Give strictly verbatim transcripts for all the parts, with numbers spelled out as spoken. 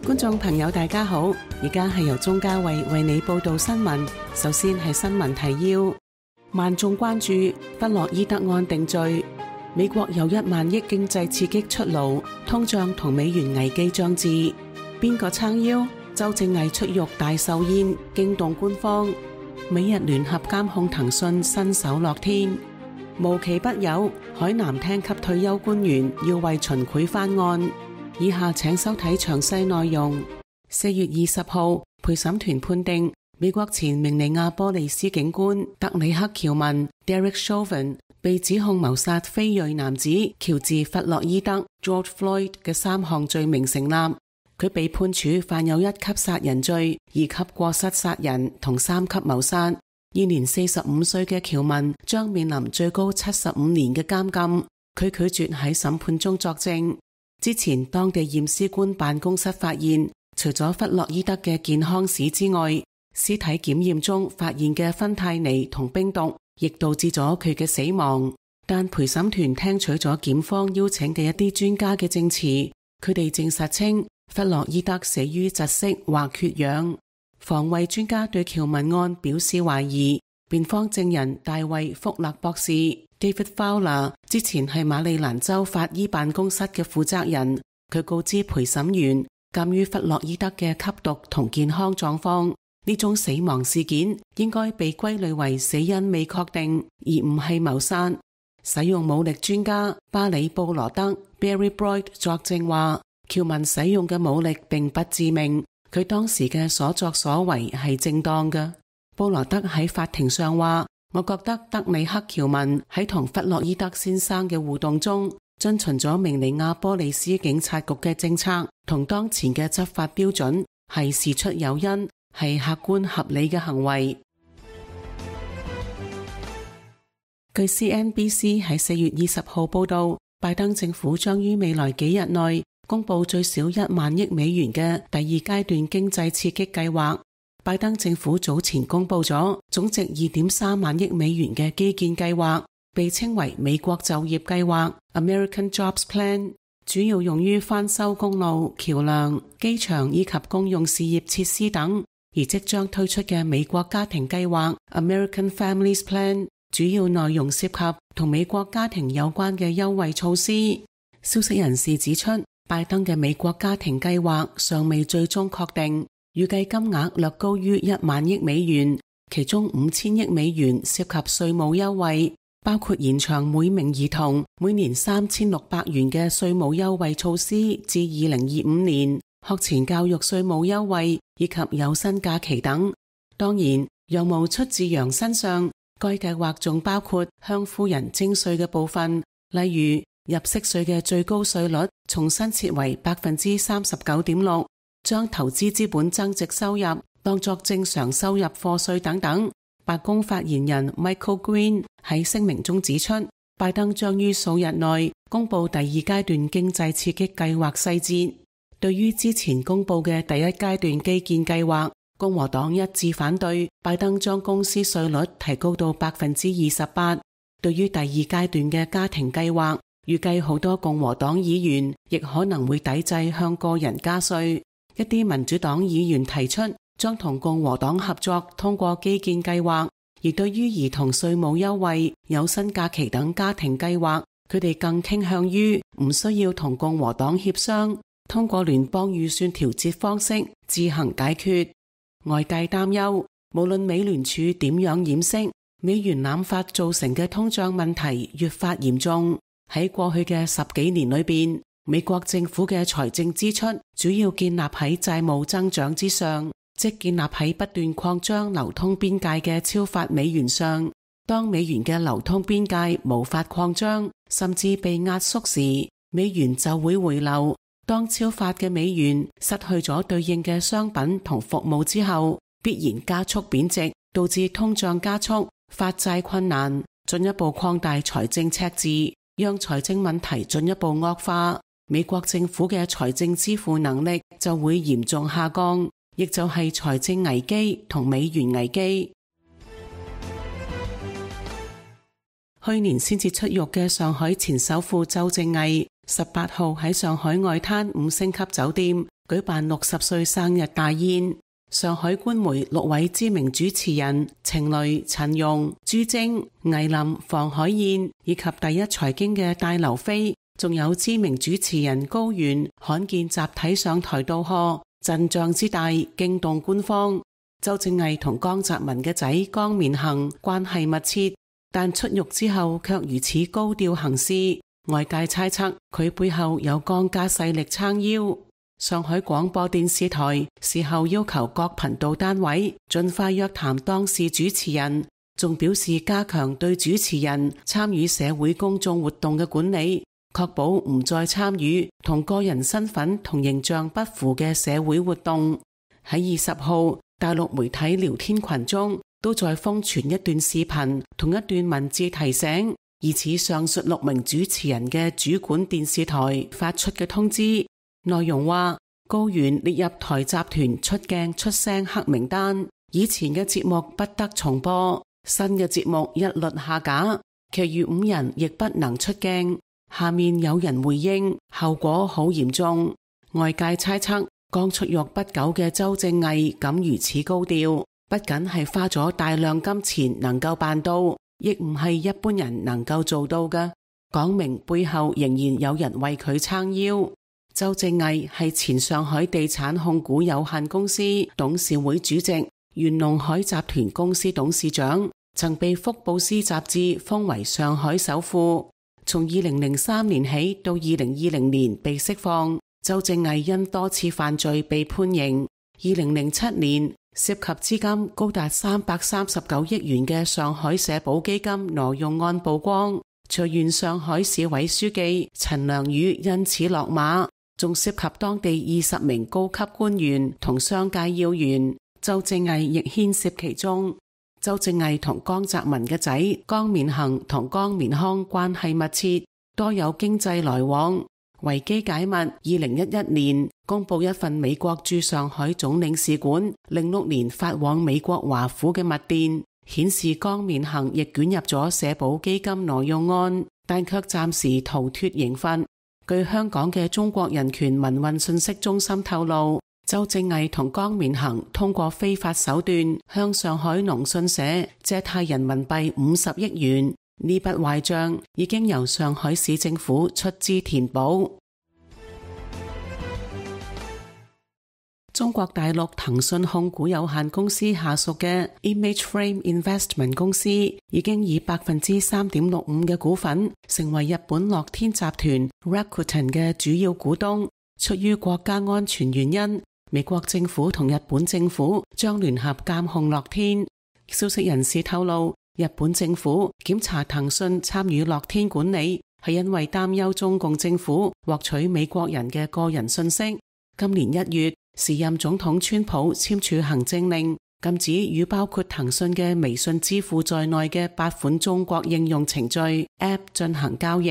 觀眾朋友大家好，而家係由鍾嘉慧為你報道新聞。首先係新聞提要：萬眾關注弗洛伊德案定罪，美國有一萬億經濟刺激出爐，通脹同美元危機將至。邊個撐腰？周正毅出獄大壽宴，驚動官方。美日聯合監控騰訊新手樂天。無奇不有，海南廳級退休官員要為秦檜翻案。以下請收睇詳細內容。四月二十號，陪審團判定美國前明尼亞波利斯警官德里克喬文 Derek Chauvin 被指控謀殺非裔男子喬治弗洛伊德 George Floyd 嘅三項罪名成立。佢被判處犯有一級殺人罪、二級過失殺人同三級謀殺。現年四十五歲嘅喬文將面臨最高七十五年嘅監禁。佢拒絕喺審判中作證。之前當地驗屍官辦公室發現，除咗弗洛伊德嘅健康史之外，屍體檢驗中發現嘅芬太尼同冰毒亦導致咗佢嘅死亡。但陪審團聽取咗檢方邀請嘅一啲專家嘅證詞，佢哋證實稱弗洛伊德死於窒息或缺氧。防衛專家對喬文案表示懷疑。辯方證人大衛福勒博士 David Fowler 之前係馬里蘭州法醫辦公室嘅負責人，佢告知陪審員，鑑於弗洛伊德嘅吸毒同健康狀況，呢種死亡事件應該被歸類為死因未確定，而唔係謀殺。使用武力專家巴里布羅德 Barry Boyd 作證話，喬文使用嘅武力並不致命，佢當時嘅所作所為係正當嘅。布羅德喺法庭上話，我覺得德里克喬文喺同弗洛伊德先生嘅互動中，遵循咗明尼亞波利斯警察局嘅政策同當前嘅執法標準，係事出有因，係客觀合理嘅行為。據 C N B C 喺四月二十號報道，拜登政府將於未來幾日內公布最少一萬億美元嘅第二階段經濟刺激計劃。拜登政府早前公布咗總值二點三萬億美元嘅基建計劃，被稱為美國就業計劃 American Jobs Plan， 主要用於翻修公路、橋樑、機場以及公用事業設施等。而即將推出嘅美國家庭計劃 American Families Plan， 主要內容涉及同美國家庭有關嘅優惠措施。消息人士指出，拜登嘅美國家庭計劃尚未最終確定，預計金額略高於一萬億美元，其中五千億美元涉及稅務優惠，包括延長每名兒童每年三千六百元嘅稅務優惠措施至二零二五年，學前教育稅務優惠以及有薪假期等。當然，羊毛出自羊身上，該計劃仲包括向富人徵稅嘅部分，例如入息稅嘅最高稅率重新設為百分之三十九點六。將投資資本增值收入當作正常收入課稅等等。白宮發言人 Michael Green 喺聲明中指出，拜登將於數日內公布第二階段經濟刺激計劃細節。對於之前公布嘅第一階段基建計劃，共和黨一致反對拜登將公司稅率提高到百分之二十八。對於第二階段嘅家庭計劃，預計好多共和黨議員亦可能會抵制向個人加稅。一啲民主黨議員提出將同共和黨合作通過基建計劃，而對於兒童稅務優惠、有薪假期等家庭計劃，佢哋更傾向於唔需要同共和黨協商，通過聯邦預算調節方式自行解決。外界擔憂，無論美聯儲點樣掩飾，美元濫發造成嘅通脹問題越發嚴重。喺過去嘅十幾年裏邊，美國政府嘅財政支出主要建立喺債務增長之上，即建立喺不斷擴張流通邊界嘅超發美元上。當美元嘅流通邊界無法擴張，甚至被壓縮時，美元就會回流。當超發嘅美元失去咗對應嘅商品同服務之後，必然加速貶值，導致通脹加速、發債困難，進一步擴大財政赤字，讓財政問題進一步惡化。美國政府嘅財政支付能力就會嚴重下降，亦就係財政危機同美元危機。去年先至出獄嘅上海前首富周正毅，十八號喺上海外灘五星級酒店舉辦六十歲生日大宴。上海官媒六位知名主持人程雷、陳蓉、朱晶、倪琳、房海燕以及第一財經嘅戴劉飛，仲有知名主持人高原，罕見集體上台道賀，陣仗之大驚動官方。周正毅同江澤民嘅仔江綿恒關係密切，但出獄之後卻如此高調行事，外界猜測佢背後有江家勢力撐腰。上海廣播電視台事後要求各頻道單位盡快約談當事主持人，仲表示加強對主持人參與社會公眾活動嘅管理，確保唔再參與同個人身份同形象不符嘅社會活動。喺二十號，大陸媒體聊天群中都在瘋傳一段視頻同一段文字提醒，疑似上述六名主持人嘅主管電視台發出嘅通知。內容話高原列入台集團出鏡出聲黑名單，以前嘅節目不得重播，新嘅節目一律下架，其餘五人亦不能出鏡。下面有人回應，後果好嚴重。外界猜測剛出獄不久嘅周正毅敢如此高調，不僅係花咗大量金錢能夠辦到，亦唔係一般人能夠做到嘅，講明背後仍然有人為佢撐腰。周正毅係前上海地產控股有限公司董事會主席，原龍海集團公司董事長，曾被福布斯雜誌封為上海首富。從二零零三年起到二零二零年被釋放，周正毅因多次犯罪被判刑。二零零七年涉及資金高達三百三十九億元嘅上海社保基金挪用案曝光，隨原上海市委書記陳良宇因此落馬。仲涉及當地二十名高級官員同商界要員，周正毅亦牽涉其中。周正毅同江澤民嘅仔江綿恒同江綿康關係密切，多有經濟來往。維基解密，二零一一年公布一份美國駐上海總領事館零六年發往美國華府嘅密電，顯示江綿恒亦捲入咗社保基金挪用案，但卻暫時逃脫刑罰。據香港嘅中國人權民運信息中心透露，周正毅同江綿恒通過非法手段向上海農信社借貸人民幣五十億元，呢筆壞賬已經由上海市政府出資填補。中國大陸騰訊控股有限公司下屬嘅 Image Frame Investment 公司已經以百分之三點六五嘅股份成為日本樂天集團 Rakuten 嘅主要股東。出於國家安全原因，美國政府同日本政府將聯合監控樂天。消息人士透露，日本政府檢查騰訊參與樂天管理，係因為擔憂中共政府獲取美國人嘅個人信息。今年一月，時任總統川普簽署行政令，禁止與包括騰訊嘅微信支付在內嘅八款中國應用程序 App 進行交易。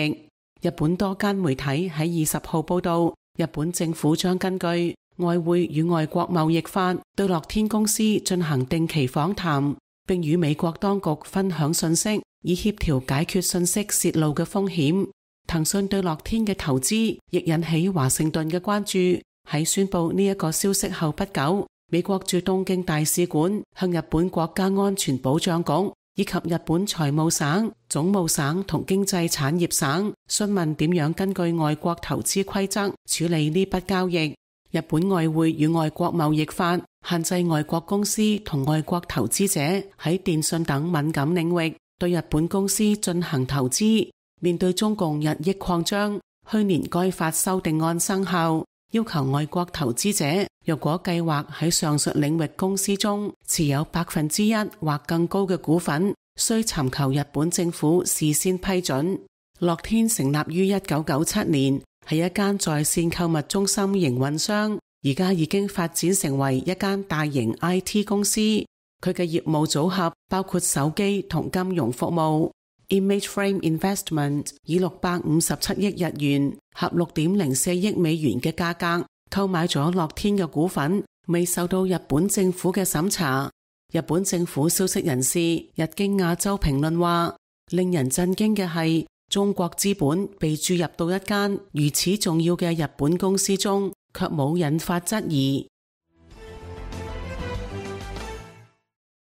日本多間媒體喺二十號報道，日本政府將根據外匯與外國貿易法對樂天公司進行定期訪談，並與美國當局分享信息，以協調解決信息洩露嘅風險。騰訊對樂天嘅投資亦引起華盛頓嘅關注。喺宣布呢一個消息後不久，美國駐東京大使館向日本國家安全保障局以及日本財務省、總務省同經濟產業省詢問點樣根據外國投資規則處理呢筆交易。日本外匯與外國貿易法限制外國公司同外國投資者喺電信等敏感領域對日本公司進行投資。面對中共日益擴張，去年該法修訂案生效，要求外國投資者若果計劃喺上述領域公司中持有百分之一或更高嘅股份，需尋求日本政府事先批准。樂天成立於一九九七年，係一間在線購物中心營運商，而家已經發展成為一間大型 I T 公司。佢嘅業務組合包括手機同金融服務。Image Frame Investment 以六百五十七億日元合六點零四億美元嘅價格購買咗樂天嘅股份，未受到日本政府嘅審查。日本政府消息人士日經亞洲評論話，令人震驚嘅係中國資本被注入到一間如此重要嘅日本公司中，卻冇引發質疑。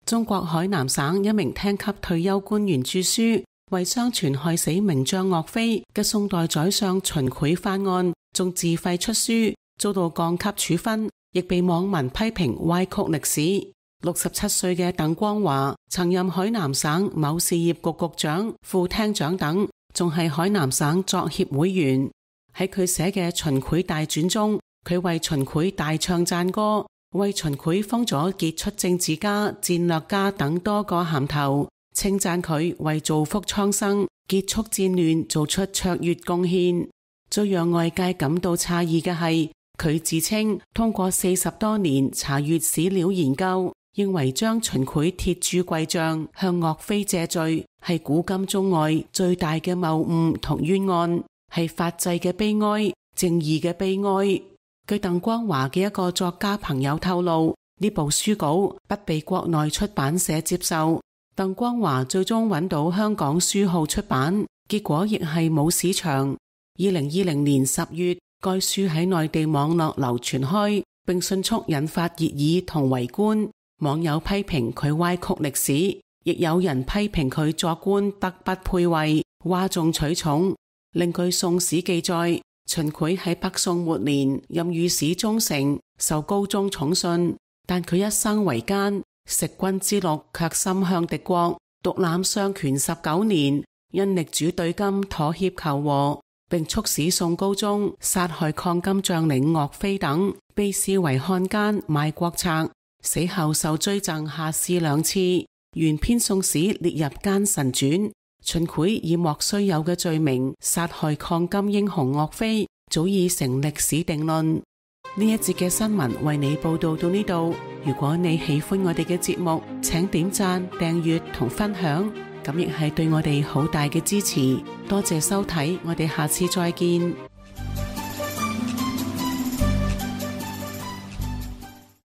中國海南省一名廳級退休官員著書，為相傳害死名將岳飛嘅宋代宰相秦檜翻案，仲自費出書，遭到降級處分，亦被網民批評歪曲歷史。六十七歲嘅鄧光華曾任海南省某事業局局長、副廳長等，仲係海南省作協會員。喺佢寫嘅《秦檜大傳》中，佢為秦檜大唱讚歌，為秦檜封咗傑出政治家、戰略家等多個銜頭，稱讚佢為造福蒼生、結束戰亂做出卓越貢獻。最讓外界感到詫異嘅係，佢自稱通過四十多年查閱史料研究，認為將秦檜鐵鑄貴像向岳飛謝罪係古今中外最大嘅謬誤同冤案，係法制嘅悲哀、正義嘅悲哀。據鄧光華嘅一個作家朋友透露，呢部書稿不被國內出版社接受，鄧光華最終揾到香港書號出版，結果亦係冇市場。二零二零年十月，該書喺內地網絡流傳開，並迅速引發熱議同圍觀。網友批評佢歪曲歷史，亦有人批評佢作官德不配位，嘩眾取寵。另據《宋史》記載，秦檜喺北宋末年任御史中丞，受高宗寵信，但佢一生為奸，食君之祿卻心向敵國，獨攬雙權十九年，因力主對金妥協求和，並促使宋高宗殺害抗金將領岳飛等，被視為漢奸賣國賊。死後受追贈下士兩次，原編宋史列入奸臣傳。秦檜以莫須有嘅罪名殺害抗金英雄岳飛，早已成歷史定論。呢一節嘅新聞為你報道到呢度。如果你喜歡我哋嘅節目，請點讚、訂閱同分享，咁亦係對我哋好大嘅支持。多謝收睇，我哋下次再見。